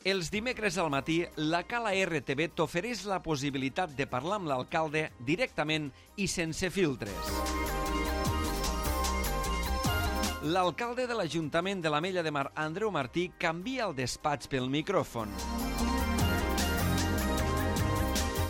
Els dimecres al matí, la Cala RTV t'ofereix la possibilitat de parlar amb l'alcalde directament i sense filtres. L'alcalde de l'Ajuntament de l'Ametlla de Mar, Andreu Martí, canvia el despatx pel micròfon.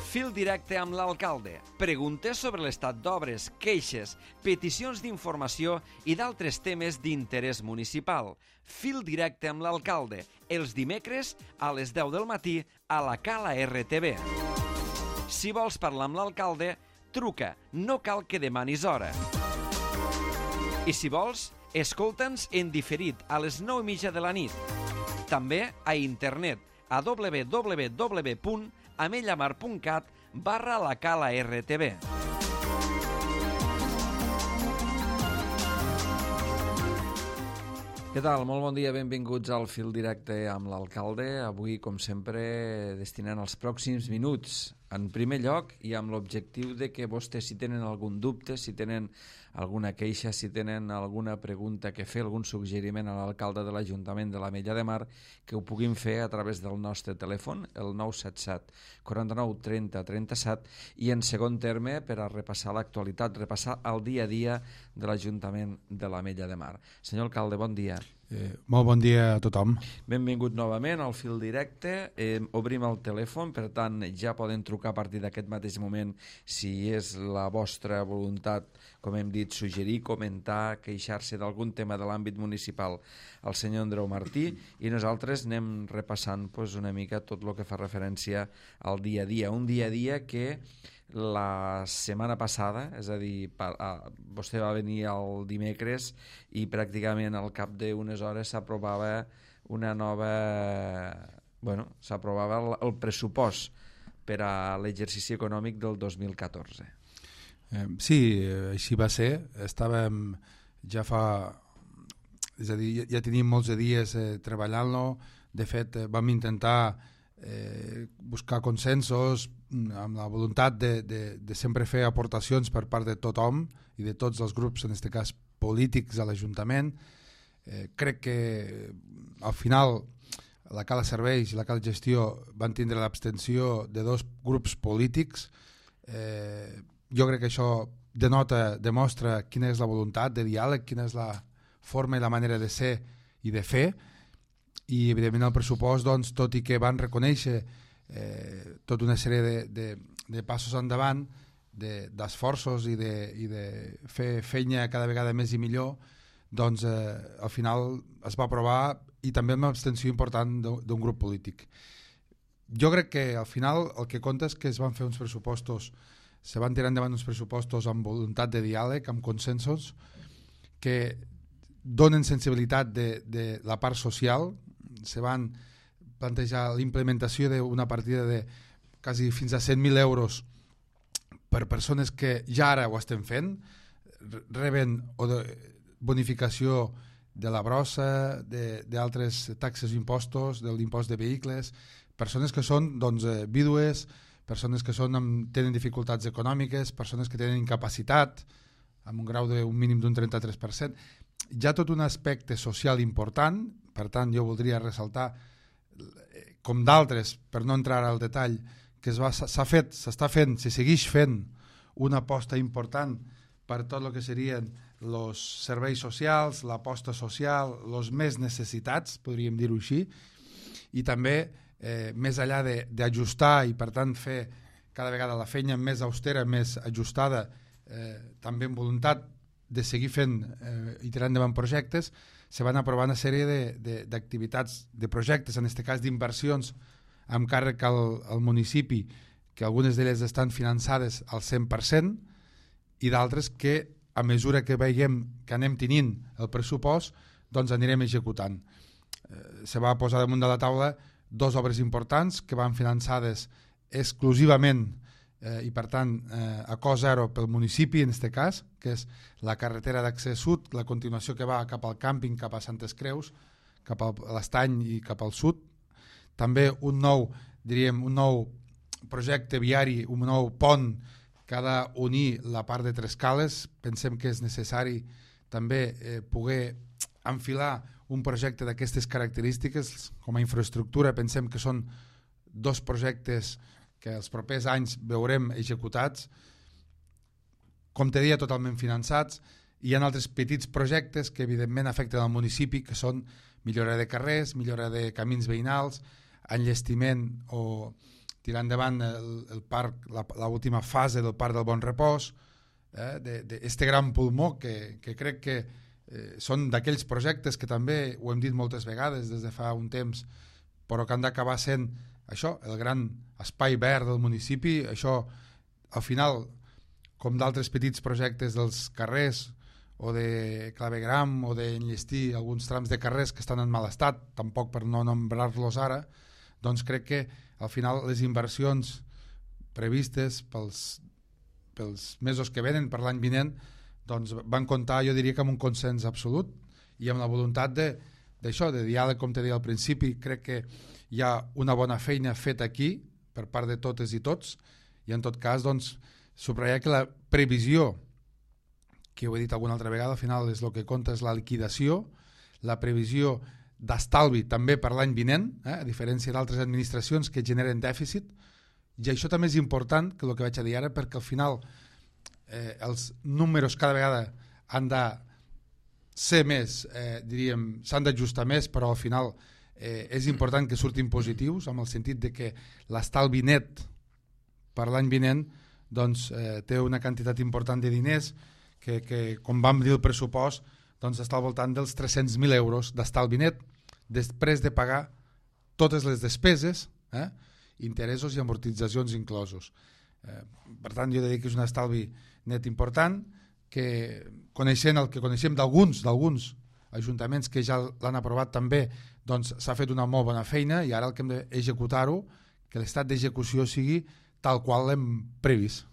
Fil directe amb l'alcalde. Preguntes sobre l'estat d'obres, queixes, peticions d'informació i d'altres temes d'interès municipal. Fil directe amb l'alcalde. Els dimecres a les 10 del matí a la Cala RTV. Si vols parlar amb l'alcalde, truca. No cal que demanis hora. I si vols, escolta'ns en diferit a les 9:30 de la nit. També a internet a www.amellamar.cat/la Cala RTV. Què tal? Molt bon dia, benvinguts al Fil Directe amb l'alcalde. Avui, com sempre, destinant els pròxims minuts en primer lloc i amb l'objectiu de que vostès, si tenen algun dubte, si tenen alguna queixa, si tenen alguna pregunta que fer, algun suggeriment a l'alcalde de l'Ajuntament de l'Ametlla de Mar, que ho puguin fer a través del nostre telèfon, el 977 49 30 37, i en segon terme per a repassar l'actualitat, repassar el dia a dia de l'Ajuntament de l'Ametlla de Mar. Senyor alcalde, bon dia. Molt bon dia a tothom. Benvingut novament al Fil Directe. Obrim el telèfon, per tant ja poden trucar a partir d'aquest mateix moment si és la vostra voluntat, com hem dit, suggerir, comentar, queixar-se d'algun tema de l'àmbit municipal al senyor Andreu Martí, i nosaltres anem repassant una mica tot el que fa referència al dia a dia. Un dia a dia que la setmana passada, és a dir, vostè va venir el dimecres i pràcticament al cap d'unes hores s'aprovava una nova... s'aprovava el pressupost per a l'exercici econòmic del 2014. Sí, així va ser. Estàvem ja fa... És a dir, ja teníem molts de dies treballant-lo. De fet, vam intentar buscar consensos amb la voluntat de sempre fer aportacions per part de tothom i de tots els grups, en aquest cas polítics, a l'Ajuntament. Crec que al final la Cala Serveis i la Cala Gestió van tindre l'abstenció de dos grups polítics. Jo crec que això demostra quina és la voluntat de diàleg, quina és la forma i la manera de ser i de fer. I evidentment el pressupost, doncs, tot i que van reconèixer tota una sèrie de passos endavant, d'esforços i de fer feina cada vegada més i millor, doncs al final es va aprovar, i també amb una abstenció important d'un grup polític. Jo crec que al final el que compta és que es van fer uns pressupostos, se van tirar endavant uns pressupostos amb voluntat de diàleg, amb consensos, que donen sensibilitat de la part social. Se van plantejar l'implementació d'una partida de quasi fins a 100.000 euros per persones que ja ara ho estem fent, reben bonificació de la brossa, d'altres taxes i impostos, de l'impost de vehicles, persones que són vídues, persones que tenen dificultats econòmiques, persones que tenen incapacitat, amb un grau d'un mínim d'un 33%. Hi ha tot un aspecte social important. Per tant, jo voldria ressaltar, com d'altres, per no entrar al detall, que s'està fent, se segueix fent una aposta important per tot el que serien els serveis socials, l'aposta social, els més necessitats, podríem dir-ho així, i també més enllà d'ajustar i per tant fer cada vegada la feina més austera, més ajustada, també amb voluntat de seguir fent i tirant endavant projectes, se van aprovar una sèrie d'activitats, de projectes, en aquest cas d'inversions amb càrrec al municipi, que algunes d'elles estan finançades al 100% i d'altres que a mesura que veiem que anem tenint el pressupost, doncs anirem executant. Se va posar damunt de la taula dues obres importants que van finançades exclusivament i per tant a cost zero pel municipi, en aquest cas, que és la carretera d'accés sud, la continuació que va cap al càmping, cap a Santes Creus, cap a l'Estany i cap al sud. També un nou projecte viari, un nou pont que ha d'unir la part de Trescales. Pensem que és necessari també poder enfilar un projecte d'aquestes característiques, com a infraestructura pensem que són 2 projectes que els propers anys veurem executats, com te deia, totalment finançats. Hi ha altres petits projectes que evidentment afecten al municipi, que són millora de carrers, millora de camins veïnals, enllestiment o tirar endavant el parc, l'última fase del Parc del Bon Repòs, d'este gran pulmó que crec que són d'aquells projectes que també ho hem dit moltes vegades des de fa un temps, però que han d'acabar sent això, el gran espai verd del municipi. Això al final, com d'altres petits projectes dels carrers o de clavegram o d'enllestir alguns trams de carrers que estan en mal estat, tampoc per no nombrar-los ara, doncs crec que al final les inversions previstes pels mesos que venen, per l'any vinent, doncs van comptar, jo diria que amb un consens absolut i amb la voluntat d'això, de diàleg, com te deia al principi. Crec que hi ha una bona feina feta aquí per part de totes i tots, i en tot cas doncs, subratllar que la previsió, que ho he dit alguna altra vegada, al final és el que compta és la liquidació, la previsió d'estalvi també per l'any vinent, a diferència d'altres administracions que generen dèficit, i això també és important, que el que vaig a dir ara, perquè al final els números cada vegada han de ser més, diríem, s'han d'ajustar més, però al final és important que surtin positius, amb el sentit de que l'estalvi net per l'any vinent doncs, té una quantitat important de diners que com vam dir el pressupost, doncs està al voltant dels 300.000 euros d'estalvi net, després de pagar totes les despeses, interessos i amortitzacions inclosos. Per tant, jo diria que és un estalvi net important, que coneixent el que coneixem d'alguns ajuntaments que ja l'han aprovat també, doncs s'ha fet una molt bona feina, i ara el que hem d'executar-ho, que l'estat d'execució sigui tal qual l'hem previst.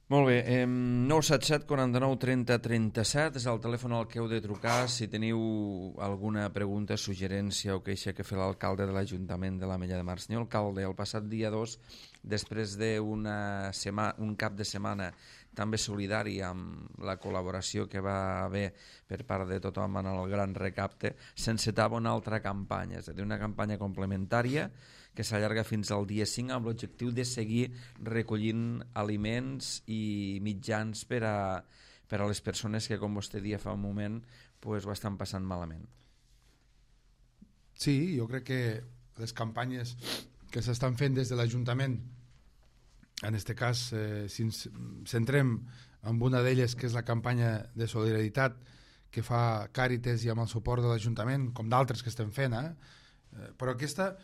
Molt bé, 977 49 30 37 és el telèfon al que heu de trucar si teniu alguna pregunta, suggerència o queixa que fer l'alcalde de l'Ajuntament de l'Ametlla de Mar. Senyor alcalde, el passat dia 2, després d'un cap de setmana també solidari amb la col·laboració que va haver per part de tothom en el gran recapte, s'encetava una altra campanya, és a dir, una campanya complementària que s'allarga fins al dia 5 amb l'objectiu de seguir recollint aliments i mitjans per a les persones que, com vostè deia fa un moment, pues, ho estan passant malament. Sí, jo crec que les campanyes que s'estan fent des de l'Ajuntament, en aquest cas, si ens centrem en una d'elles, que és la campanya de solidaritat que fa Càritas i amb el suport de l'Ajuntament, com d'altres que estem fent, però aquesta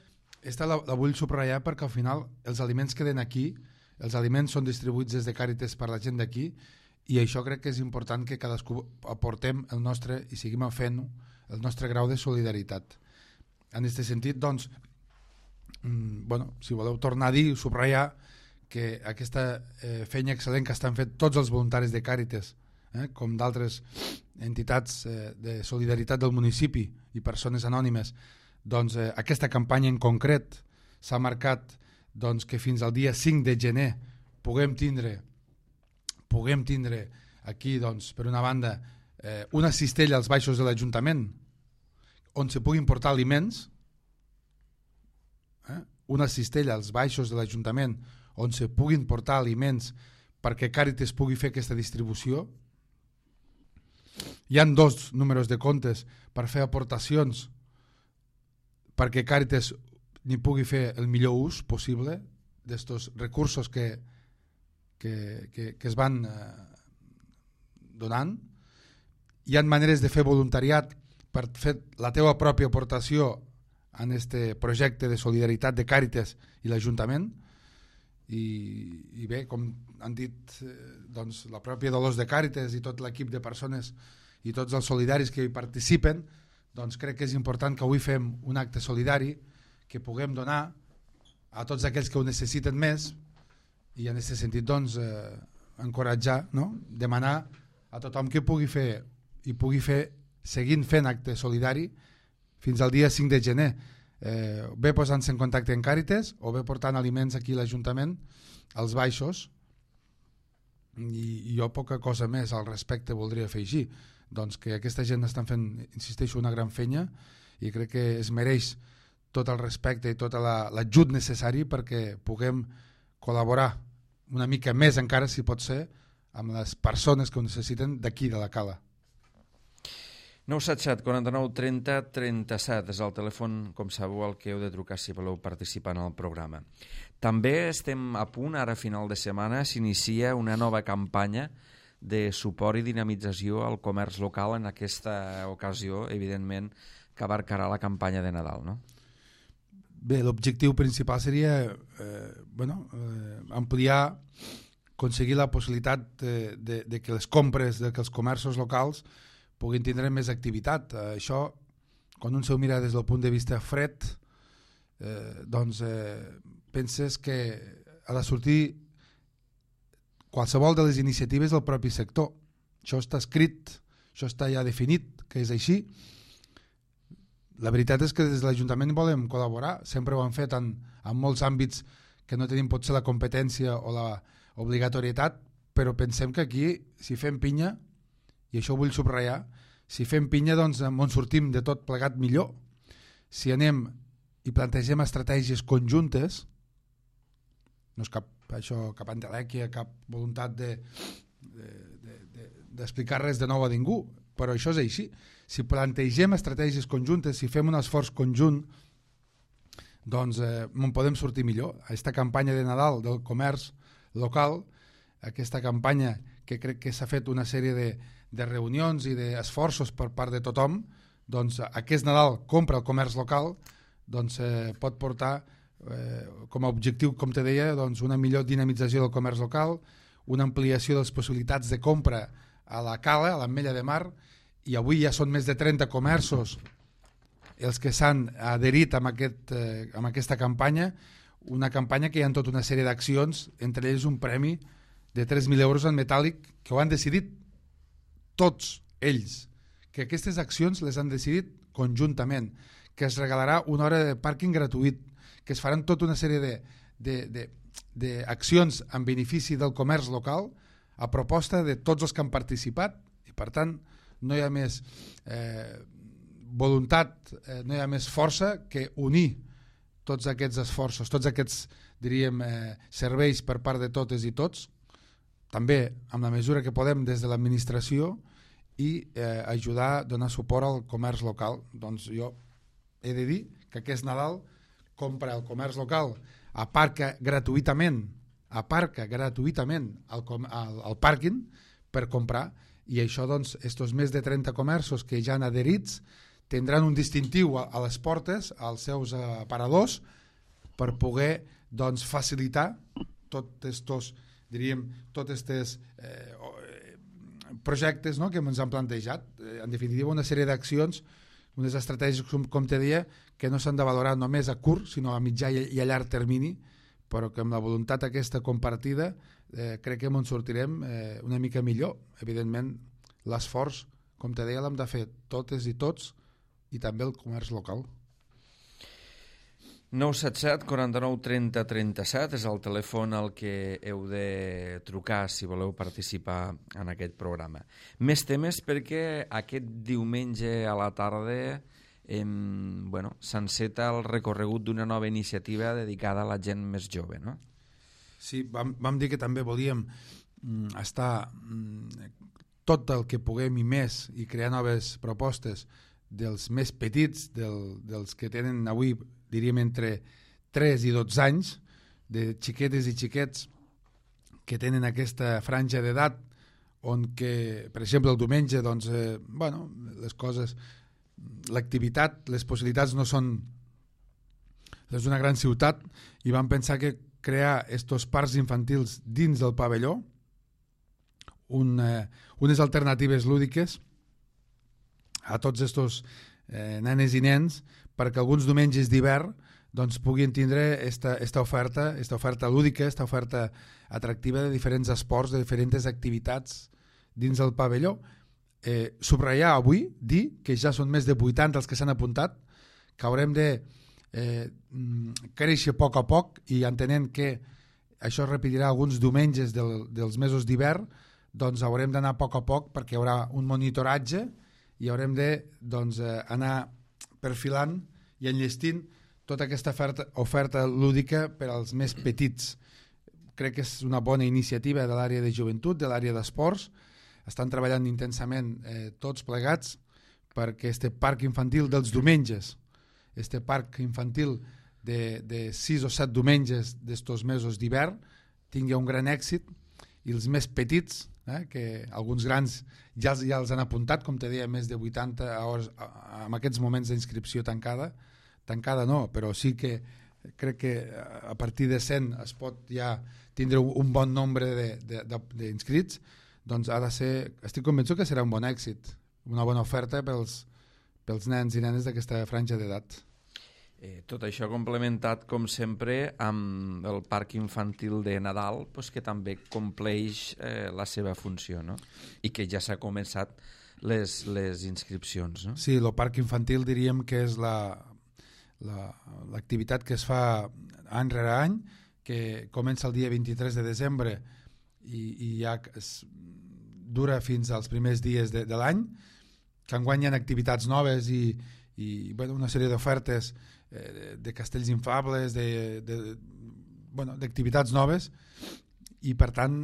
la vull subratllar perquè al final els aliments queden aquí, els aliments són distribuïts des de Càritas per la gent d'aquí, i això crec que és important que cadascú aportem el nostre, i seguim fent el nostre grau de solidaritat. En aquest sentit, doncs, si voleu tornar a dir, subratllar que aquesta feina excel·lent que estan fent tots els voluntaris de Càritas, com d'altres entitats de solidaritat del municipi i persones anònimes, doncs aquesta campanya en concret s'ha marcat doncs, que fins al dia 5 de gener puguem tindre aquí, doncs, per una banda, una cistella als baixos de l'Ajuntament on se puguin portar aliments, una cistella als baixos de l'Ajuntament on se puguin portar aliments perquè Càritas pugui fer aquesta distribució. Hi han 2 números de comptes per fer aportacions perquè Càritas n'hi pugui fer el millor ús possible d'estos recursos que es van donant. Hi ha maneres de fer voluntariat per fer la teva pròpia aportació en este projecte de solidaritat de Càritas i l'Ajuntament, i bé, com han dit doncs, la pròpia Dolors de Càritas i tot l'equip de persones i tots els solidaris que hi participen, doncs crec que és important que avui fem un acte solidari que puguem donar a tots aquells que ho necessiten més, i en aquest sentit doncs, encoratjar, no? Demanar a tothom que pugui fer i pugui fer seguint fent acte solidari fins al dia 5 de gener, bé posant-se en contacte amb Càritas o bé portant aliments aquí a l'Ajuntament als baixos. I jo poca cosa més al respecte voldria afegir. doncs que aquesta gent estan fent, insisteixo, una gran feina, i crec que es mereix tot el respecte i tot l'ajut necessari perquè puguem col·laborar una mica més encara, si pot ser, amb les persones que ho necessiten d'aquí, de la Cala. 977 49 30 37 és el telèfon, com sabeu, al que heu de trucar si voleu participar en el programa. També estem a punt, ara a final de setmana, s'inicia una nova campanya de suport i dinamització al comerç local, en aquesta ocasió, evidentment, que abarcarà la campanya de Nadal, no? Bé, l'objectiu principal seria ampliar, aconseguir la possibilitat de que les compres, de que els comerços locals puguin tindre més activitat. Això, quan un s'ho mira des del punt de vista fred, penses que ha de sortir qualsevol de les iniciatives del propi sector. Això està escrit, això està ja definit, que és així. La veritat és que des de l'Ajuntament volem col·laborar, sempre ho han fet en molts àmbits que no tenim potser la competència o la obligatorietat, però pensem que aquí, si fem pinya, i això ho vull subratllar, si fem pinya, doncs on sortim de tot plegat millor. Si anem i plantegem estratègies conjuntes, no és cap entelèquia, cap voluntat d'explicar res de nou a ningú, però això és així. Si plantegem estratègies conjuntes, si fem un esforç conjunt, doncs en podem sortir millor. Aquesta campanya de Nadal del comerç local, aquesta campanya que crec que s'ha fet una sèrie de reunions i d'esforços per part de tothom, doncs aquest Nadal compra el comerç local, doncs pot portar com a objectiu, com te deia, doncs una millor dinamització del comerç local, una ampliació de les possibilitats de compra a la Cala, a l'Ametlla de Mar, i avui ja són més de 30 comerços els que s'han adherit amb aquesta campanya, una campanya que hi ha tota una sèrie d'accions, entre ells un premi de 3.000 euros en metàl·lic, que ho han decidit tots ells, que aquestes accions les han decidit conjuntament, que es regalarà una hora de pàrquing gratuït, que es faran tota una sèrie d'accions en benefici del comerç local a proposta de tots els que han participat, i per tant no hi ha més voluntat, no hi ha més força que unir tots aquests esforços, tots aquests, diríem, serveis per part de totes i tots, també amb la mesura que podem des de l'administració, i ajudar a donar suport al comerç local. Doncs jo he de dir que aquest Nadal compra el comerç local, aparca gratuïtament al pàrquing per comprar, i això, doncs, estos més de 30 comerços que ja han adherits tindran un distintiu a les portes, als seus aparadors, per poder, doncs, facilitar tots estos, diríem, tots estos projectes, no?, que ens han plantejat. En definitiva, una sèrie d'accions, unes estratègies, com te deia, que no s'han de valorar només a curt, sinó a mitjà i a llarg termini, però que amb la voluntat aquesta compartida crec que ens sortirem una mica millor. Evidentment, l'esforç, com te deia, l'hem de fer totes i tots, i també el comerç local. 977 49 30 37 és el telèfon al que heu de trucar si voleu participar en aquest programa. Més temes, perquè aquest diumenge a la tarda s'enceta el recorregut d'una nova iniciativa dedicada a la gent més jove, no? Sí, vam dir que també volíem estar tot el que puguem i més, i crear noves propostes dels més petits, dels que tenen avui, diríem, entre 3 i 12 anys, de xiquetes i xiquets que tenen aquesta franja d'edat, on que, per exemple, el diumenge, doncs, les coses, l'activitat, les possibilitats no són les d'una gran ciutat, i vam pensar que crear estos parcs infantils dins del pavelló, unes alternatives lúdiques a tots estos nenes i nens, perquè alguns diumenges d'hivern doncs, puguin tindre esta oferta lúdica, esta oferta atractiva de diferents esports, de diferents activitats dins del pavelló. Subratllar avui, dir que ja són més de 80 els que s'han apuntat, que haurem de créixer a poc, i entenent que això es repetirà alguns diumenges dels mesos d'hivern, doncs haurem d'anar a poc perquè hi haurà un monitoratge i haurem de anar perfilant i enllestint tota aquesta oferta lúdica per als més petits. Crec que és una bona iniciativa de l'àrea de joventut, de l'àrea d'esports. Estan treballant intensament tots plegats perquè este parc infantil dels diumenges, este parc infantil de 6 o 7 diumenges d'estos mesos d'hivern tingui un gran èxit i els més petits, que alguns grans ja els han apuntat, com te deia, més de 80 hores en aquests moments d'inscripció tancada no, però sí que crec que a partir de 100 es pot ja tindre un bon nombre d'inscrits, doncs ha de ser, estic convençut que serà un bon èxit, una bona oferta pels nens i nenes d'aquesta franja d'edat. Tot això complementat, com sempre, amb el parc infantil de Nadal, que també compleix la seva funció, no? I que ja s'ha començat les inscripcions, no? Sí, el parc infantil diríem que és l'activitat que es fa any rere any, que comença el dia 23 de desembre i ja dura fins als primers dies de l'any, que enguany hi ha activitats noves i una sèrie d'ofertes de castells infables, d'activitats noves, i per tant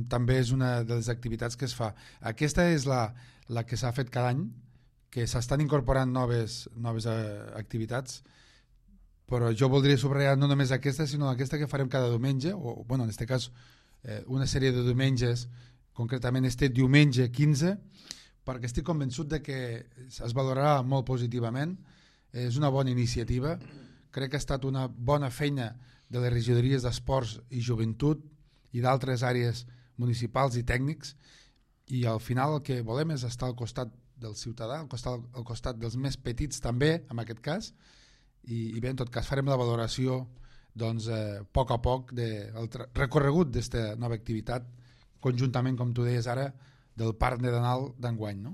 també és una de les activitats que es fa. Aquesta és la que s'ha fet cada any, que s'estan incorporant noves activitats, però jo voldria subratllar no només aquesta, sinó aquesta que farem cada diumenge, o en aquest cas una sèrie de diumenges, concretament este diumenge 15, perquè estic convençut de que es valorarà molt positivament. És una bona iniciativa, crec que ha estat una bona feina de les regidories d'esports i joventut i d'altres àrees municipals i tècnics, i al final el que volem és estar al costat del ciutadà, al costat dels més petits també, en aquest cas, i bé, en tot cas farem la valoració a poc a poc del recorregut d'aquesta nova activitat, conjuntament, com tu deies ara, del Parc de Nadal d'enguany, no?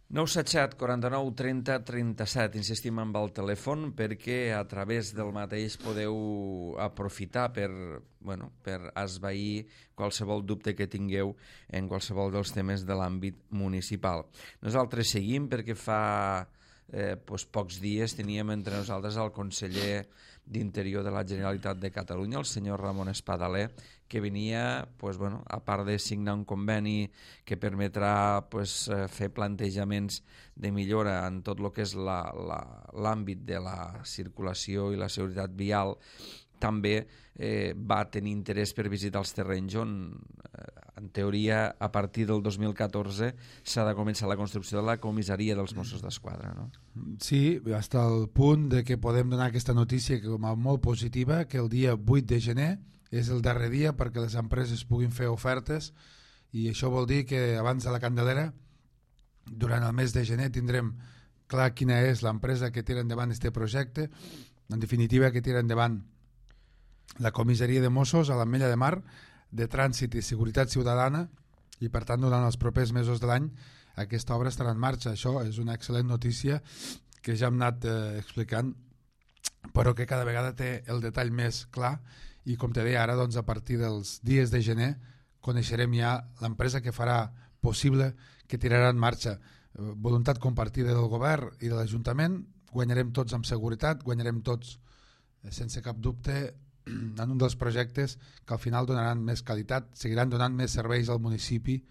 977 49 30 37, insistim amb el telèfon perquè a través del mateix podeu aprofitar per esvair qualsevol dubte que tingueu en qualsevol dels temes de l'àmbit municipal. Nosaltres seguim perquè fa pocs dies teníem entre nosaltres el conseller d'Interior de la Generalitat de Catalunya, el senyor Ramon Espadaler, que venia, a part de signar un conveni que permetrà fer plantejaments de millora en tot el que és l'àmbit de la circulació i la seguretat vial, també va tenir interès per visitar els terrenys on, en teoria, a partir del 2014 s'ha de començar la construcció de la comissaria dels Mossos d'Esquadra, no? Sí, fins al punt de que podem donar aquesta notícia com a molt positiva, que el dia 8 de gener és el darrer dia perquè les empreses puguin fer ofertes, i això vol dir que abans de la Candelera, durant el mes de gener, tindrem clar quina és l'empresa que tira endavant aquest projecte, en definitiva que tira endavant la comissaria de Mossos a l'Ametlla de Mar, de Trànsit i Seguretat Ciutadana, i per tant durant els propers mesos de l'any aquesta obra estarà en marxa. Això és una excel·lent notícia que ja hem anat explicant, però que cada vegada té el detall més clar, i com te deia ara, a partir dels dies de gener coneixerem ja l'empresa que farà possible, que tirarà en marxa. Voluntat compartida del govern i de l'Ajuntament, guanyarem tots amb seguretat, guanyarem tots sense cap dubte en un dels projectes que al final donaran més qualitat, seguiran donant més serveis al municipi,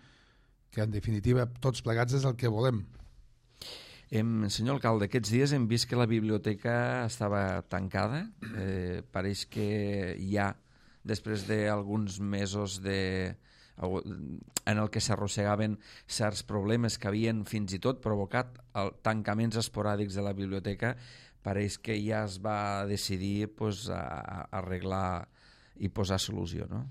que en definitiva tots plegats és el que volem. Senyor alcalde, aquests dies hem vist que la biblioteca estava tancada. Pareix que ja, després d'alguns mesos en el que s'arrossegaven certs problemes que havien fins i tot provocat tancaments esporàdics de la biblioteca, pareix que ja es va decidir a arreglar i posar solució, no?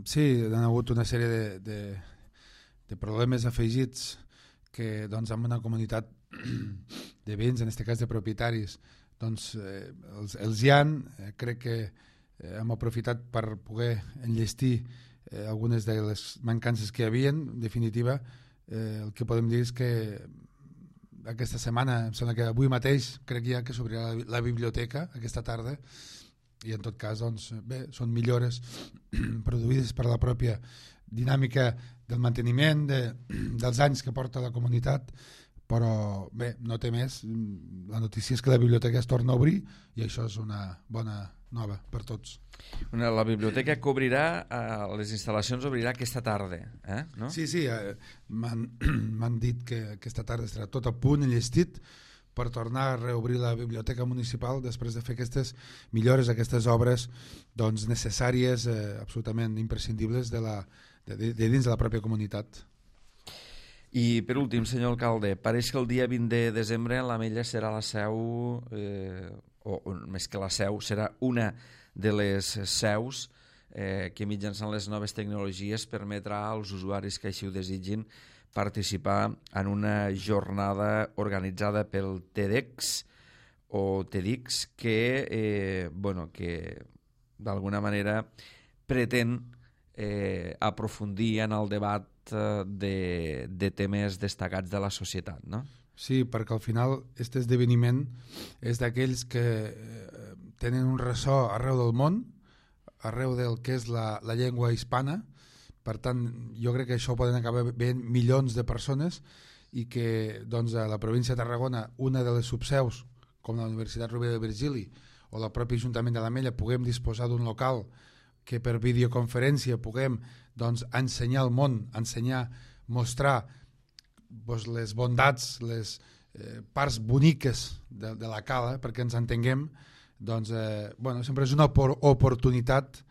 Sí, han hagut una sèrie de problemes afegits que amb una comunitat de veïns, en aquest cas de propietaris, els hi han. Crec que hem aprofitat per poder enllestir algunes de les mancances que hi havia. En definitiva, el que podem dir és que aquesta setmana, em sembla que avui mateix, crec ja que s'obrirà la biblioteca aquesta tarda, i en tot cas, bé, són millores produïdes per la pròpia dinàmica del manteniment dels anys que porta la comunitat, però bé, no té més. La notícia és que la biblioteca es torna a obrir i això és una bona nova per tots. La biblioteca que obrirà, les instal·lacions obrirà aquesta tarda, no? Sí, m'han dit que aquesta tarda estarà tot a punt i llestit per tornar a reobrir la biblioteca municipal després de fer aquestes millores, aquestes obres doncs, necessàries, absolutament imprescindibles de dins de la pròpia comunitat. I per últim, senyor alcalde, pareix que el dia 20 de desembre l'Ametlla serà la seu, o més que la seu, serà una de les seus que mitjançant les noves tecnologies permetrà als usuaris que així ho desitgin participar en una jornada organitzada pel TEDx o TEDx que d'alguna manera pretén aprofundir en el debat de temes destacats de la societat, no? Sí, perquè al final aquest esdeveniment és d'aquells que tenen un ressò arreu del món, arreu del que és la llengua hispana. Per tant, jo crec que això poden acabar veient milions de persones i que doncs, a la província de Tarragona, una de les subseus, com la Universitat Rovira i Virgili o el propi Ajuntament de l'Ametlla, puguem disposar d'un local que per videoconferència puguem doncs, ensenyar al món, mostrar doncs, les bondats, les parts boniques de la cala, perquè ens entenguem, doncs, sempre és una oportunitat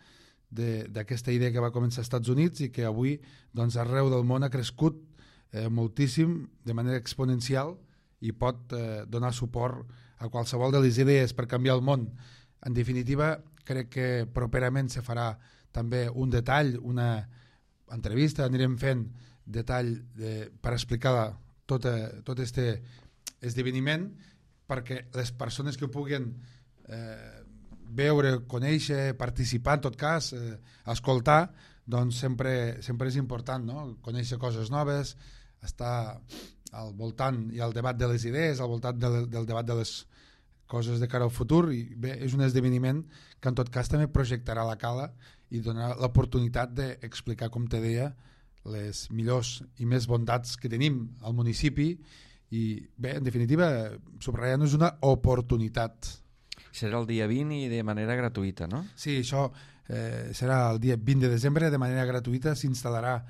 d'aquesta idea que va començar als Estats Units i que avui doncs, arreu del món ha crescut moltíssim, de manera exponencial, i pot donar suport a qualsevol de les idees per canviar el món. En definitiva, crec que properament se farà també un detall, una entrevista, anirem fent detall per explicar tot aquest esdeveniment perquè les persones que puguin veure, conèixer, participar en tot cas, escoltar, doncs sempre és important, no? Conèixer coses noves, estar al voltant i al debat de les idees, al voltant del debat de les coses de cara al futur, i bé, és un esdeveniment que en tot cas també projectarà la cala i donarà l'oportunitat d'explicar, com te deia, les millors i més bondats que tenim al municipi i bé, en definitiva, subratllant és una oportunitat. Serà el dia 20 i de manera gratuïta, no? Sí, això serà el dia 20 de desembre, de manera gratuïta s'instal·larà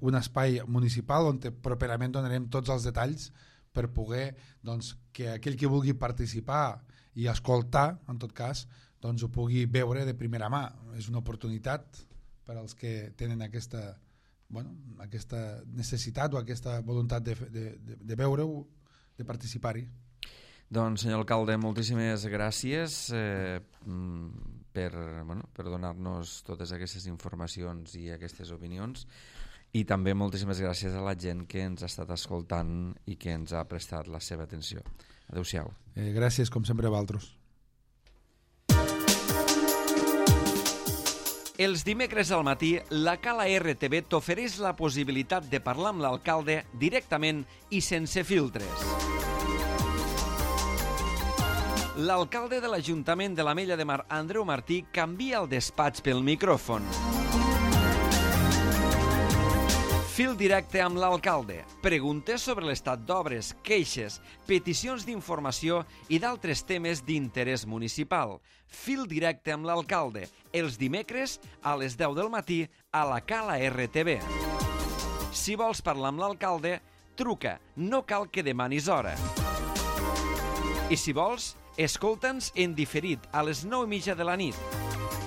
un espai municipal on properament donarem tots els detalls per poder doncs, que aquell que vulgui participar i escoltar, en tot cas, doncs ho pugui veure de primera mà. És una oportunitat per als que tenen aquesta necessitat o aquesta voluntat de veure-ho, de participar-hi. Doncs, senyor alcalde, moltíssimes gràcies per donar-nos totes aquestes informacions i aquestes opinions, i també moltíssimes gràcies a la gent que ens ha estat escoltant i que ens ha prestat la seva atenció. Adéu-siau. Gràcies, com sempre, a vosaltres. Els dimecres al matí, la Cala RTV t'ofereix la possibilitat de parlar amb l'alcalde directament i sense filtres. L'alcalde de l'Ajuntament de l'Ametlla de Mar, Andreu Martí, canvia el despatx pel micròfon. Fil directe amb l'alcalde. Preguntes sobre l'estat d'obres, queixes, peticions d'informació i d'altres temes d'interès municipal. Fil directe amb l'alcalde. Els dimecres a les 10 del matí a la Cala RTV. Si vols parlar amb l'alcalde, truca. No cal que demanis hora. I si vols, escolta'ns en diferit a les 9:30 de la nit.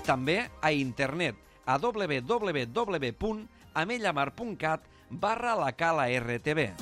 També a internet a www.amellamar.cat/la Cala RTV.